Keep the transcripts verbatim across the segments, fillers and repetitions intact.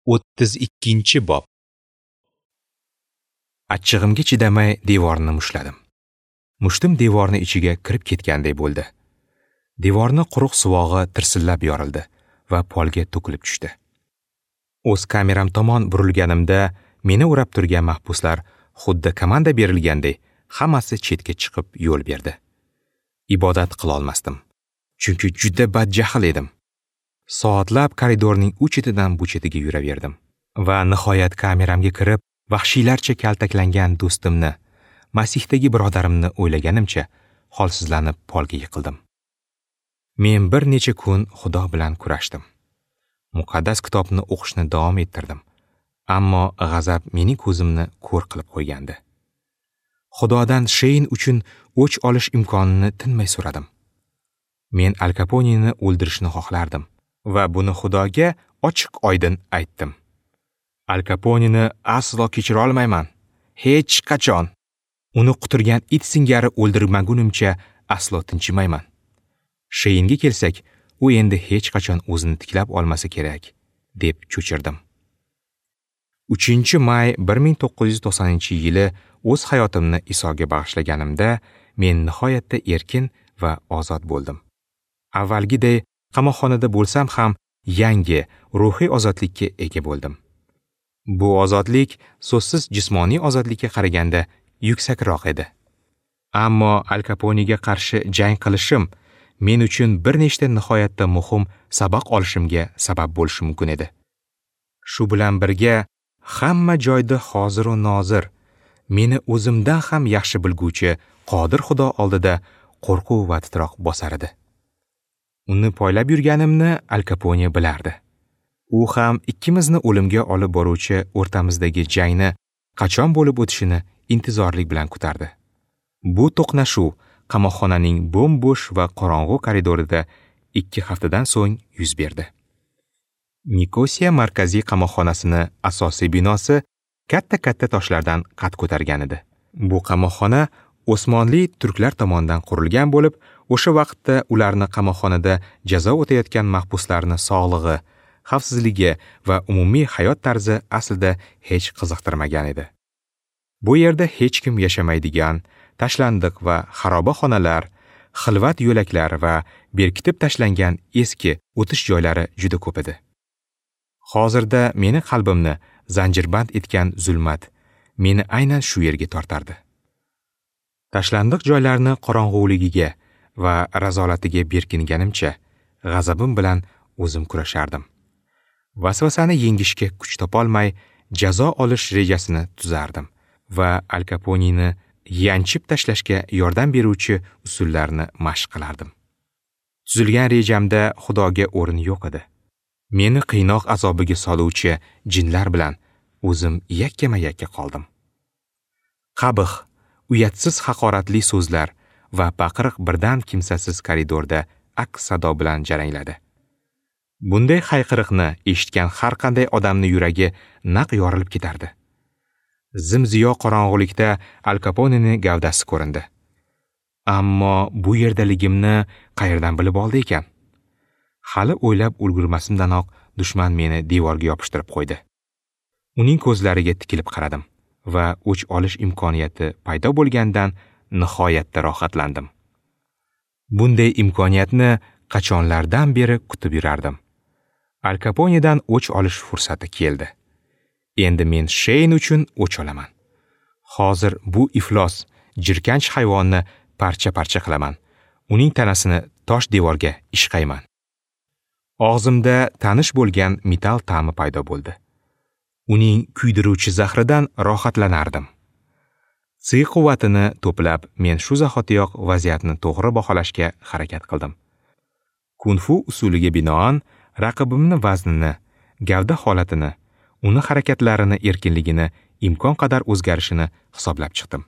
O'ttiz ikkinchi bob. Achchig'imga chidamay devorni mushladim. Mushtim devorni ichiga kirib ketganday bo'ldi. Devorni quruq suvog'i tirsillab yorildi va polga to'kilib tushdi. O'z kameram tomon burilganimda meni o'rab turgan mahbuslar xuddi komanda berilganday hammasi chetga chiqib yo'l berdi. Ibodat qila olmasdim, chunki juda badjahl edim. Soatlab koridorning u chetidan bu chetiga yuraverdim va nihoyat kameramga kirib vahshiylarcha kaltaklangan do'stimni, Masihdagi birodarimni o'ylaganimcha holsizlanib polga yiqildim. Men bir necha kun Xudo bilan kurashdim. Muqaddas kitobni o'qishni davom ettirdim, ammo g'azab mening ko'zimni ko'r qilib qo'ygandi. Xudodan Sheyn uchun o'ch olish imkonini tinmay so'radim. Men Al Kaponeni o'ldirishni xohlardim va buni Xudoga ochiq oydin aytdim. Al Kaponeni aslo kechira olmayman. Hech qachon. Uni quturgan it singari o'ldirmagunimcha aslo tinchimayman. Sheynga kelsak, u endi hech qachon o'zini tiklab olmasa kerak, deb cho'chirdim. uchinchi may bir ming to'qqiz yuz to'qsoninchi yili o'z hayotimni Isoga bag'ishlaganimda men nihoyatda erkin va ozod bo'ldim. Avvalgiday qamoqxonada bo'lsam ham yangi ruhiy ozodlikka ega bo'ldim. Bu ozodlik so'zsiz jismoniy ozodlikka qaraganda yuksakroq edi. Ammo Al Kaponega qarshi jang qilishim men uchun bir nechta nihoyatda muhim saboq olishimga sabab bo'lishi mumkin edi. Shu bilan birga hamma joyda hozir va nozir, meni o'zimdan ham yaxshi bilguvchi qodir Xudo oldida qo'rquv va titroq bosar edi. Uni poylab yurganimni Al Kapone bilardi. U ham ikkimizni o'limga olib boruvchi o'rtamizdagi jangni qachon bo'lib o'tishini intizorlik bilan kutardi. Bu to'qnashuv qamoqxonaning bo'm-bo'sh va qorong'u koridorida ikki haftadan so'ng yuz berdi. Nikosiya markaziy qamoqxonasini asosiy binosi katta-katta toshlardan qad ko'targan edi. Bu qamoqxona Osmonli turklar tomonidan qurilgan bo'lib, o'sha vaqtda ularni qamoqxonada jazo o'tayotgan mahbuslarni sog'lig'i, xavfsizligi va umumiy hayot tarzi aslida hech qiziqtirmagan edi. Bu yerda hech kim yashamaydigan tashlandiq va xaroba xonalar, xilvat yo'laklar va berkitib tashlangan eski o'tish joylari juda ko'p edi. Hozirda meni qalbimni zanjirband etgan zulmat meni aynan shu yerga tortardi. Tashlandiq joylarni qorong'uligiga va razolatiga berkinganimcha g'azabim bilan o'zim kurashardim. Vasvasani yengishga kuch topolmay jazo olish rejasini tuzardim va Al Kaponeni yanchib tashlashga yordam beruvchi usullarni mashq qilardim. Tuzilgan rejamda Xudoga o'rin yo'q edi. Meni qiynoq azobiga soluvchi jinlar bilan o'zim yakkama-yakka qoldim. Qabih, uyatsiz haqoratli so'zlar va baqiriq birdan kimsasiz koridorda aks sado bilan jarangladi. Bunday hayqiriqni eshitgan har qanday odamning yuragi naq yorilib ketardi. Zimziyo qorong'ulikda Al Kaponening gavdasi ko'rindi. Ammo bu yerdaligimni qayerdan bilib oldi ekan? Hali o'ylab ulgurmasimdanoq dushman meni devorga yopishtirib qo'ydi. Uning ko'zlariga tikilib qaradim va o'ch olish imkoniyati paydo bo'lgandan nihoyatda rohatlandim. Bunday imkoniyatni qachonlardan beri kutib yurardim. Al Kaponedan o'ch olish fursati keldi. Endi men Sheyn uchun o'ch olaman. Hozir bu iflos, jirkanch hayvonni parcha-parcha qilaman. Uning tanasini tosh devorga ishqayman. Og'zimda tanish bo'lgan metal ta'mi paydo bo'ldi. Uning kuydiruvchi zahridan rohatlanardim. Tsi quvvatini to'plab, men shu zahotiyoq vaziyatni to'g'ri baholashga harakat qildim. Kung-fu usuliga binoan raqibimni vaznini, gavda holatini, uni harakatlarini erkinligini imkon qadar o'zgarishini hisoblab chiqdim.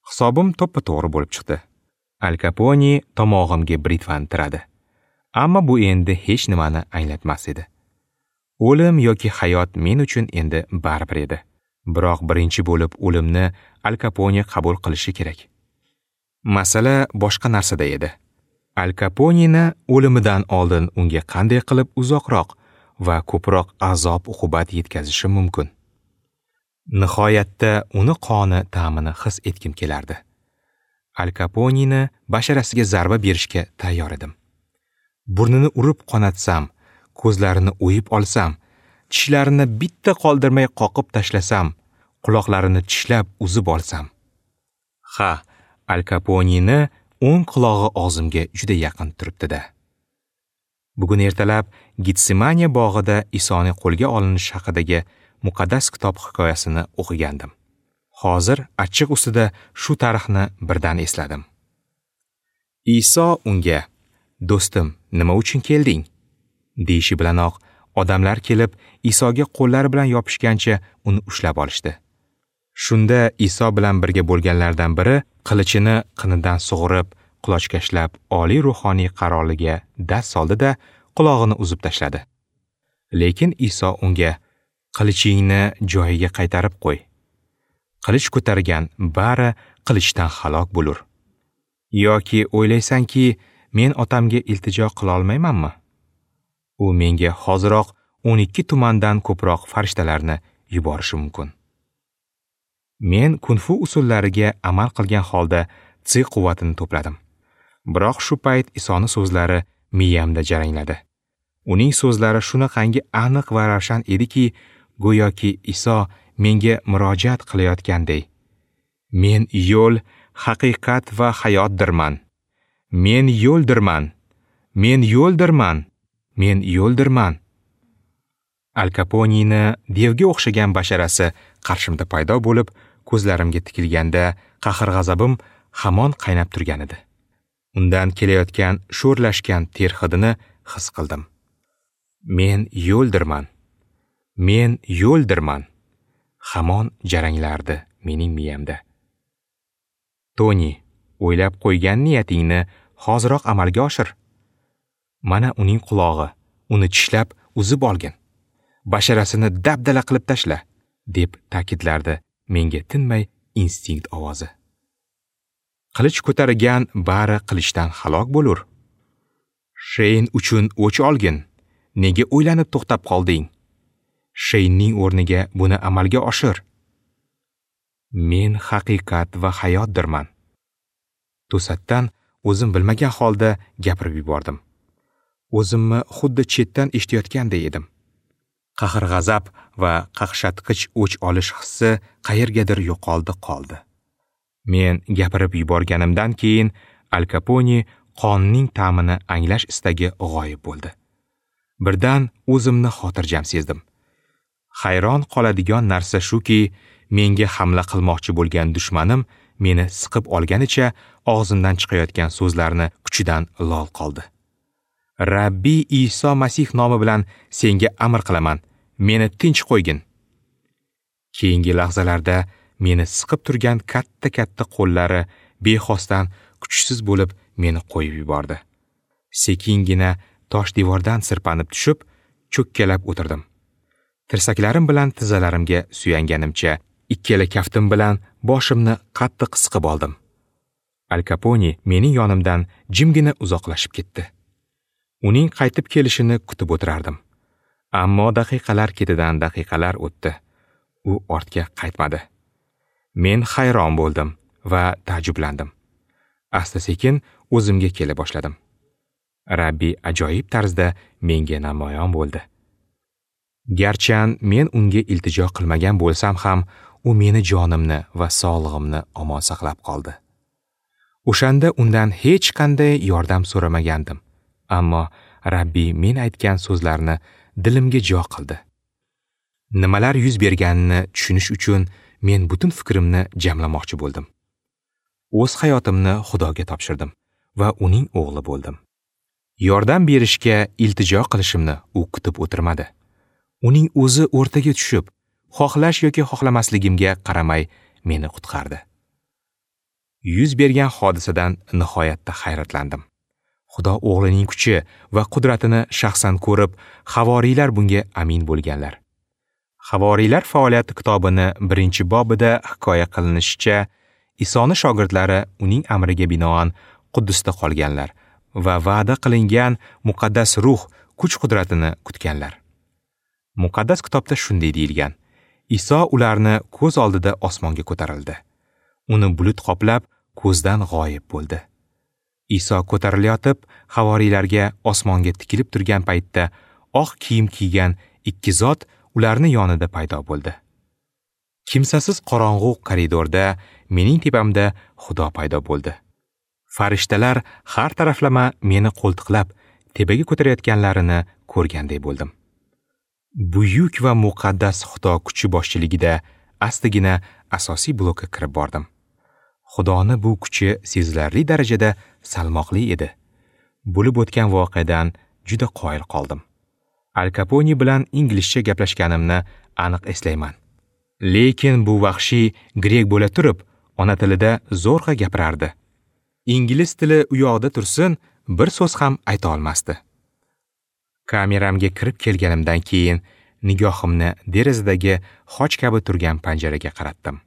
Hisobim to'ppa-to'g'ri bo'lib chiqdi. Al Kapone tomog'imga britvani tiradi. Ammo bu endi hech nimani anglatmas edi. O'lim yoki hayot men uchun endi baribir edi. Biroq birinchi bo'lib o'limni Al Kapone qabul qilishi kerak. Masala boshqa narsada edi. Al Kaponeni o'limidan oldin unga qanday qilib uzoqroq, va ko'proq azob-uqubat yetkazishim mumkin. Nihoyatda uni qoni ta'mini his etgim kelardi. Al Kaponini basharasiga zarba berishga tayyor edim. Burnini urib qonatsam, ko'zlarini o'yib olsam, tishlarini bitta qoldirmay qoqib tashlasam, quloqlarini tishlab uzib olsam. Ha, Al Kaponini o'ng qulog'i og'zimga juda yaqin turibdi-da. Bugun ertalab Getsemaniya bog'ida Isoning qo'lga olinishi haqidagi muqaddas kitob hikoyasini o'qigandim. Hozir achchiq ustida shu tarixni birdan esladim. Iso unga: "Do'stim, nima uchun kelding?" deyishi bilanoq odamlar kelib Isoga qo'llari bilan yopishgancha uni ushlab olishdi. Shunda Iso bilan birga bo'lganlardan biri qilichini qinidan sug'urib, qulochkashlab oliy ruhoniy qaroliga dast soldi-da, qulog'ini uzib tashladi. Lekin Iso unga: "Qilichingni joyiga qaytarib qo'y. Qilich ko'targan bari qilichdan halok bo'lur. Yoki o'ylaysanki, men otamga iltijo qila olmaymanmi? U menga hoziroq o'n ikki tumandan ko'proq farishtalarni yuborishi mumkin." Men kung-fu usullariga amal qilgan holda tsi quvvatini to'pladim. Biroq shu payt Isoning so'zlari miyamda jarangladi. Uning so'zlari shunaqangi aniq va ravshan ediki, go'yoki Iso menga murojaat qilayotganday. Men yo'l, haqiqat va hayotdirman. Men yo'ldirman. Men yo'ldirman. Men yo'ldirman. Al Kaponini devga o'xshagan basharasi qarshimda paydo bo'lib, ko'zlarimga tikilganda qahr-g'azabim hamon qaynab turgan edi. Undan kelayotgan sho'rlashgan ter hidini his qildim. Men yo'ldirman. Men yo'ldirman. Hamon jaranglardi mening miyamda. Toni, o'ylab qo'ygan niyatingni hoziroq amalga oshir. Mana uning qulog'i, uni tishlab uzib olgin. Basharasini dabdala qilib tashla, deb ta'kidlardi menga tinmay instinkt ovozi. Qilich ko'targan bari qilichdan halok bo'lur. Sheyn uchun o'ch olgin. Nega o'ylanib to'xtab qolding? Sheynning o'rniga buni amalga oshir. Men haqiqat va hayotdirman. To'satdan o'zim bilmagan holda gapirib yubordim. O'zimni xuddi chetdan eshitayotganday edim. Qahr-g'azab va qaqshatqich o'ch olish hissi qayergadir yo'qoldi qoldi. Men gapirib yuborganimdan keyin Al Kaponi qonning ta'mini anglash istagi g'oyib bo'ldi. Birdan o'zimni xotirjam sezdim. Hayron qoladigan narsa shuki, menga hamla qilmoqchi bo'lgan dushmanim meni siqib olganicha og'zimdan chiqayotgan so'zlarni kuchidan lol qoldi. Rabbiy Iso Masih nomi bilan senga amr qilaman, meni tinch qo'ygin. Keyingi lahzalarda meni siqib turgan katta-katta qo'llari bexosdan kuchsiz bo'lib meni qo'yib yubordi. Sekingina tosh devordan sirpanib tushib, cho'kkalab o'tirdim. Tirsaklarim bilan tizzalarimga suyanganimcha, ikkala kaftim bilan boshimni qattiq siqib oldim. Al Kaponi mening yonimdan jimgina uzoqlashib ketdi. Uning qaytib kelishini kutib o'tirardim. Ammo daqiqalar ketidan daqiqalar o'tdi. U ortga qaytmadi. Men hayron bo'ldim va ta'jublandim. Asta-sekin o'zimga kela boshladim. Rabbi ajoyib tarzda menga namoyon bo'ldi. Garchan men unga iltijo qilmagan bo'lsam ham, u meni jonimni va sog'lig'imni omon saqlab qoldi. O'shanda undan hech qanday yordam so'ramagandim. Ammo Rabbi men aytgan so'zlarni dilimga jo qildi. Nimalar yuz berganini tushunish uchun men butun fikrimni jamlamoqchi bo'ldim. O'z hayotimni Xudoga topshirdim va uning o'g'li bo'ldim. Yordam berishga iltijo qilishimni u kutib o'tirmadi. Uning o'zi o'rtaga tushib, xohlash yoki xohlamasligimga qaramay meni qutqardi. Yuz bergan hodisadan nihoyatda hayratlandim. Xudo o'g'lining kuchi va qudratini shaxsan ko'rib, havoriylar bunga amin bo'lganlar. Havoriylar faoliyati kitobini birinchi bobida hikoya qilinishicha, Isoni shogirdlari uning amriga binoan Quddusda qolganlar va va'da qilingan muqaddas ruh kuch-qudratini kutganlar. Muqaddas kitobda shunday deyilgan: Iso ularni ko'z oldida osmonga ko'tarildi. Uni bulut qoplab, ko'zdan g'oyib bo'ldi. Iso ko'tarilayotib, havoriylarga osmonga tikilib turgan paytda oq kiyim kiygan ikki zot ularni yonida paydo bo'ldi. Kimsasiz qorong'u koridorda mening tepamda Xudo paydo bo'ldi. Farishtalar har taraflama meni qo'ltiqlab tepaga ko'tarayotganlarini ko'rganday bo'ldim. Buyuk va muqaddas Xudo kuchi boshchiligida astagina asosiy blokka kirib bordim. Xudoni bu kuchi sezilarli darajada salmoqli edi. Bo'lib o'tgan voqeadan juda qoyil qoldim. Al Kapone bilan inglizcha gaplashganimni aniq eslayman. Lekin bu vahshiy grek bo'la turib, ona tilida zo'rg'a gapirardi. Ingliz tili u yoqda tursin, bir so'z ham ayta olmasdi. Kameramga kirib kelganimdan keyin nigohimni derazadagi xoch kabi turgan panjaraga qaratdim.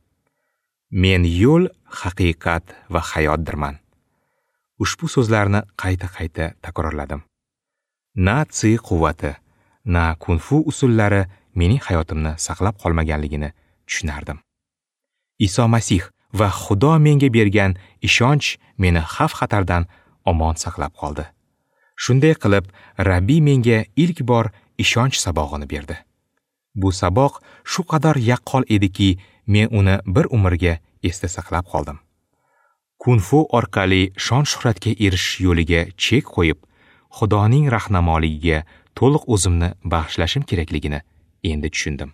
Men yo'l, haqiqat va hayotdirman. Ushbu so'zlarni qayta-qayta takrorladim. Na tsi quvvati, na kung-fu usullari mening hayotimni saqlab qolmaganligini tushunardim. Iso Masih va Xudo menga bergan ishonch meni xavf-xatardan omon saqlab qoldi. Shunday qilib, Rabbiy menga ilk bor ishonch sabog'ini berdi. Bu saboq shu qadar yaqqol ediki, men uni bir umrga esda saqlab qoldim. Kung-fu orqali shon-shuhratga erishish yo'liga chek qo'yib, Xudoning rahnamoligiga to'liq o'zimni bag'ishlashim kerakligini endi tushundim.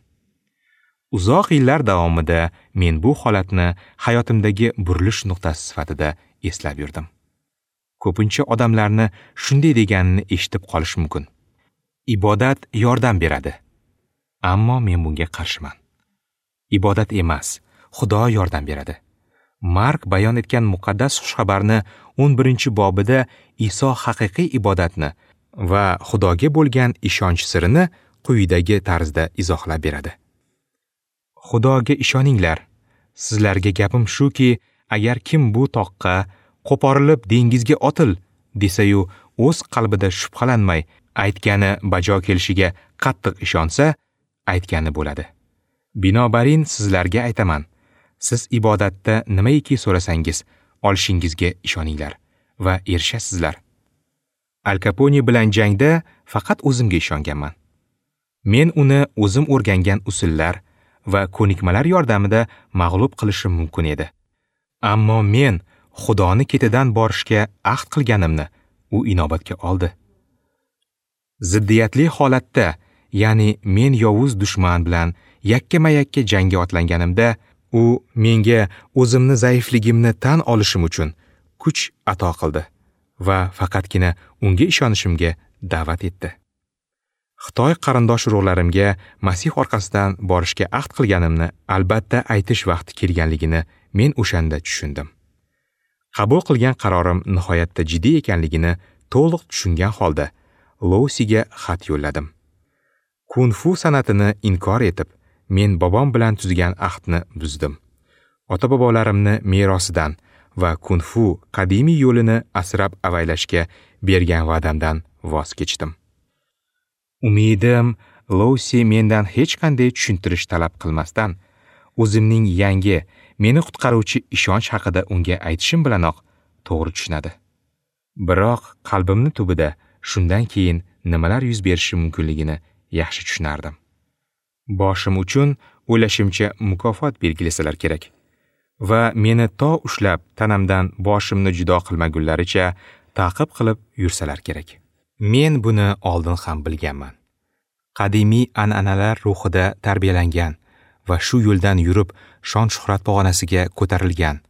Uzoq yillar davomida men bu holatni hayotimdagi burilish nuqtasi sifatida eslab yurdim. Ko'pincha odamlarni shunday deganini eshitib qolish mumkin. Ibodat yordam beradi. Ammo men bunga qarshiman. Ibodat emas, Xudo yordam beradi. Mark bayon etgan muqaddas xushxabarni o'n birinchi bobida Iso haqiqiy ibodatni va Xudoga bo'lgan ishonch sirini quyidagi tarzda izohlab beradi. Xudoga ishoninglar. Sizlarga gapim shuki, agar kim bu toqqa qo'porilib dengizga otil desa-yu, o'z qalbida shubhalanmay aytgani bajo kelishiga qattiq ishonsa, aytgani bo'ladi. Binobarin sizlarga aytaman, siz ibodatda nimaiki so'rasangiz, olishingizga ishoninglar va erishasizlar. Al Kapone bilan jangda faqat o'zimga ishonganman. Men uni o'zim o'rgangan usullar va ko'nikmalar yordamida mag'lub qilishim mumkin edi. Ammo men Xudoni ketidan borishga ahd qilganimni u inobatga oldi. Ziddiyatli holatda, ya'ni men yovuz dushman bilan yakkama-yakka jangga otlanganimda, u menga o'zimni zaifligimni tan olishim uchun kuch ato qildi va faqatgina unga ishonishimga da'vat etdi. Xitoy qarindosh urug'larimga Masih orqasidan borishga ahd qilganimni albatta aytish vaqti kelganligini men o'shanda tushundim. Qabul qilgan qarorim nihoyatda jiddiy ekanligini to'liq tushungan holda Lousiga xat yo'lladim. Kung-fu san'atini inkor etib, men bobom bilan tuzgan ahdni buzdim. Ota-bobolarimni merosidan va kung-fu qadimiy yo'lini asrab avaylashga bergan va'damdan voz kechdim. Umidim, Lousi mendan hech qanday tushuntirish talab qilmasdan, o'zimning yangi, meni qutqaruvchi ishonch haqida unga aytishim bilanoq to'g'ri tushunadi. Biroq qalbimni tubida shundan keyin nimalar yuz berishi mumkinligini yaxshi tushunardim. Boshim uchun o'ylashimcha mukofot belgilasalar kerak va meni to ushlab tanamdan boshimni judo qilmagunlaricha ta'qib qilib yursalar kerak. Men buni oldin ham bilganman. Qadimiy an'analar ruhida tarbiyalangan va shu yo'ldan yurib shon-shuhrat pog'onasiga ko'tarilgan.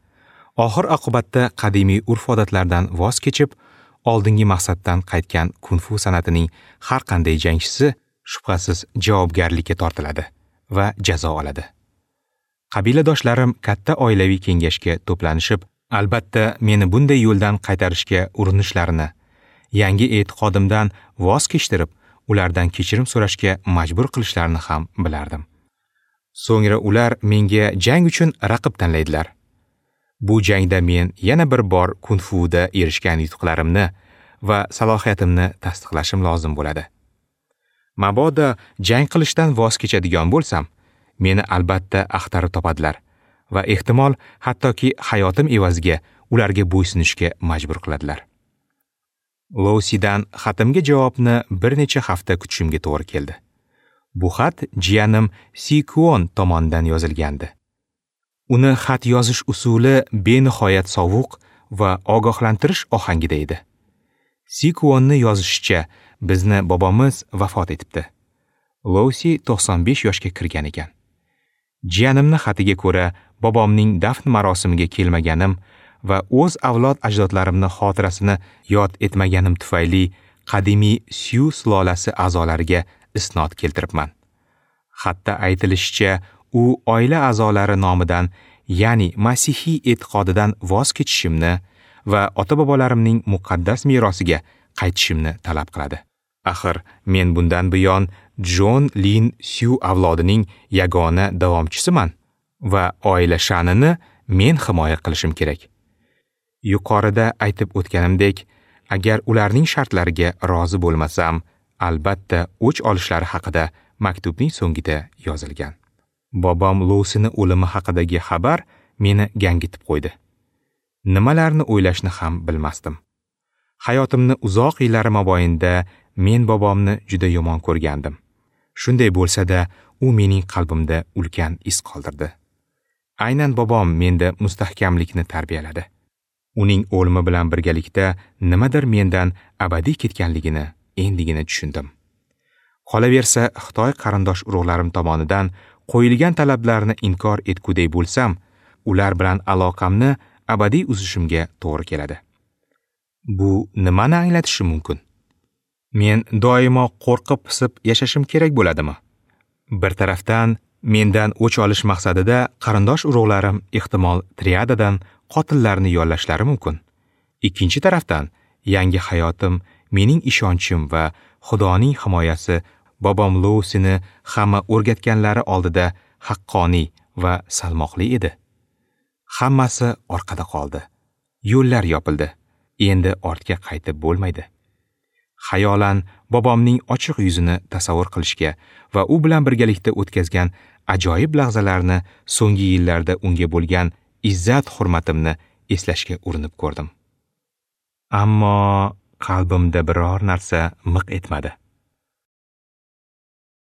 Oxir oqibatda qadimiy urf-odatlardan voz kechib, oldingi maqsaddan qaytgan kung-fu san'atining har qanday jangchisi shubhasiz javobgarlikka tortiladi va jazo oladi. Qabiladoshlarim katta oilaviy kengashga to'planishib, albatta meni bunday yo'ldan qaytarishga urinishlarini, yangi e'tiqodimdan voz kechtirib, ulardan kechirim so'rashga majbur qilishlarini ham bilardim. So'ngra ular menga jang uchun raqib tanlaydilar. Bu jangda men yana bir bor kung-fuda erishgan yutuqlarimni va salohiyatimni tasdiqlashim lozim bo'ladi. Mabodo jang qilishdan voz kechadigan bo'lsam, meni albatta axtarib topadilar va ehtimol hattoki hayotim evaziga ularga bo'ysunishga majbur qiladilar. Lousidan xatimga javobni bir necha hafta kutishimga to'g'ri keldi. Bu xat jiyanim Si Kuon tomonidan yozilgandi. Uni xat yozish usuli benihoyat sovuq va ogohlantirish ohangida edi. Si Kuonni yozishicha, bizni bobomiz vafot etibdi. Lousi to'qson besh yoshga kirgan ekan. Jiyanimni xatiga ko'ra, bobomning dafn marosimiga kelmaganim va o'z avlod ajdodlarimni xotirasini yod etmaganim tufayli qadimiy Syu sulolasi a'zolariga isnod keltiribman. Xatda aytilishicha, u oila a'zolari nomidan, ya'ni masihiy e'tiqodidan voz kechishimni va ota-bobolarimning muqaddas merosiga qaytishimni talab qiladi. Axir men bundan buyon Jon Lin Syu avlodining yagona davomchisiman va oila sha'nini men himoya qilishim kerak. Yuqorida aytib o'tganimdek, agar ularning shartlariga rozi bo'lmasam, albatta o'ch olishlari haqida maktubning so'ngida yozilgan. Bobom Lousini o'limi haqidagi xabar meni gangitib qo'ydi. Nimalarni o'ylashni ham bilmasdim. Hayotimni uzoq yillari mobaynida men bobomni juda yomon ko'rgandim. Shunday bo'lsa-da, u mening qalbimda ulkan iz qoldirdi. Aynan bobom menda mustahkamlikni tarbiyaladi. Uning o'limi bilan birgalikda nimadir mendan abadiy ketganligini endigina tushundim. Qolaversa, Xitoy qarindosh urug'larim tomonidan qo'yilgan talablarni inkor etguday bo'lsam, ular bilan aloqamni abadiy uzishimga to'g'ri keladi. Bu nimani anglatishi mumkin? Men doimo qo'rqib-pisib yashashim kerak bo'ladimi? Bir tarafdan, mendan o'ch olish maqsadida qarindosh urug'larim ehtimol triadadan qotillarni yollashlari mumkin. Ikkinchi tarafdan, yangi hayotim, mening ishonchim va Xudoning himoyasi bobom Lousini hamma o'rgatganlari oldida haqqoniy va salmoqli edi. Hammasi orqada qoldi. Yo'llar yopildi. Endi ortga qaytib bo'lmaydi. Xayolan bobomning ochiq yuzini tasavvur qilishga va u bilan birgalikda o'tkazgan ajoyib lahzalarni so'nggi yillarda unga bo'lgan izzat hurmatimni eslashga urinib ko'rdim. Ammo qalbimda biror narsa miq etmadi.